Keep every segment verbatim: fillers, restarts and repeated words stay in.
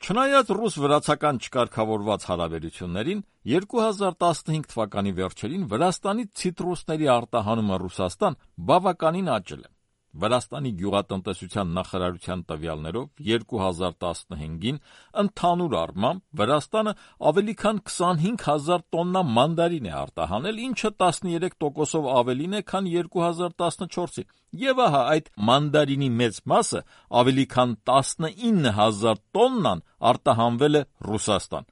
Չնայած ռուս-վրացական չկարգավորված հարաբերություններին, երկու հազար տասնհինգ թվականի վերջերին Վրաստանից ցիտրուսների արտահանումը Ռուսաստան բավականին աճել է։ Վրաստանի գյուղատնտեսության նախարարության տվյալներով երկու հազար տասնհինգին ընդհանուր առմամբ Վրաստանը ավելի քան քսանհինգ հազար տոննա մանդարին է արտահանել, ինչը տասներեք տոկոսով ավելին է, քան երկու հազար տասնչորսին, եւ ահա այդ մանդարինի մեծ մասը, ավելի քան տասնինը հազար տոննան, արտահանվել է Ռուսաստան։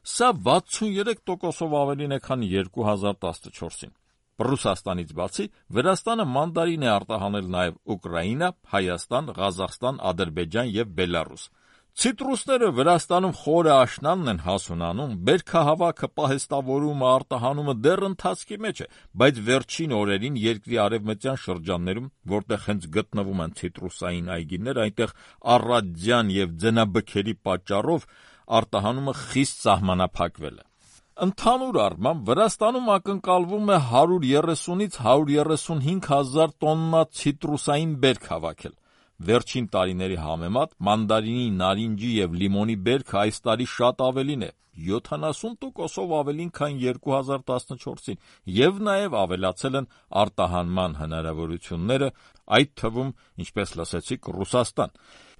Սա վաթսուներեք տոկոսով ավելին է, քան երկու հազար տասնչորսին։ Ռուսաստանից բացի Վրաստանը մանդարին է արտահանել նաև Ուկրաինա, Հայաստան, Ղազախստան, Ադրբեջան եւ Բելարուս։ Ցիտրուսները Վրաստանում խորը աշնանն են հասունանում, բերքահավաքը, պահեստավորումը, արտահանումը դեռ ընթացքի մեջ է, բայց վերջին օրերին երկրի արևմտյան շրջաններում, որտեղ հենց գտնվում են ցիտրուսային այգիներ, այնտեղ առատձյան եւ ձնաբքերի պատճառով արտահանումը խիստ սահմանափակվել է։ Ընդհանուր առմամբ Վրաստանում ակնկալվում է հարյուր երեսունից հարյուր երեսունհինգ հազար տոննա ցիտրուսային բերք հավաքել։ Վերջին տարիների համեմատ մանդարինի, նարինջի եւ լիմոնի բերքը այս տարի շատ ավելին է, յոթանասուն տոկոսով ավելին, քան երկու հազար տասնչորսին, եւ նաեւ ավելացել են արտահանման հնարավորությունները, այդ թվում, ինչպես լսեցիք, Ռուսաստան։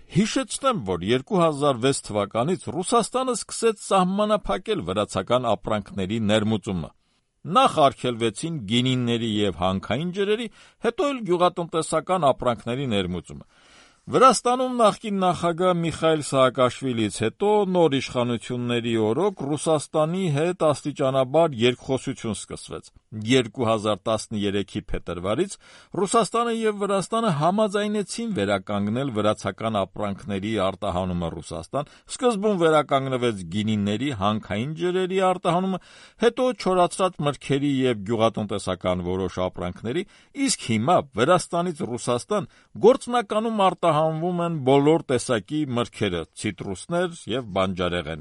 Հիշեցնեմ, որ երկու հազար վեց թվականից Ռուսաստանը սկսեց սահմանափակել վրացական ապրանքների ներմուծումը։ Նախ արգելվեցին գինիների եւ հանքային ջրերի, հետո էլ գյուղատնտեսական ապրանքների ներմուծումը։ Վրաստանում նախկին նախագահ Միխայիլ Սահակաշվիլիից հետո նոր իշխանությունների օրոք Ռուսաստանի հետ աստիճանաբար երկխոսություն սկսվեց։ երկու հազար տասներեքի փետրվարից Ռուսաստանը եւ Վրաստանը համաձայնեցին վերականգնել վրացական ապրանքների արտահանումը Ռուսաստան, սկզբում վերականգնվեց գինիների, հանքային ջրերի արտահանումը, հետո չորացրած մրգերի եւ գյուղատնտեսական որոշ ապրանքների, իսկ հիմա Վրաստանից Ռուսաստան գործնականում արտահանվում են բոլոր տեսակի մրգերը, ցիտրուսներ եւ բանջարեղեն։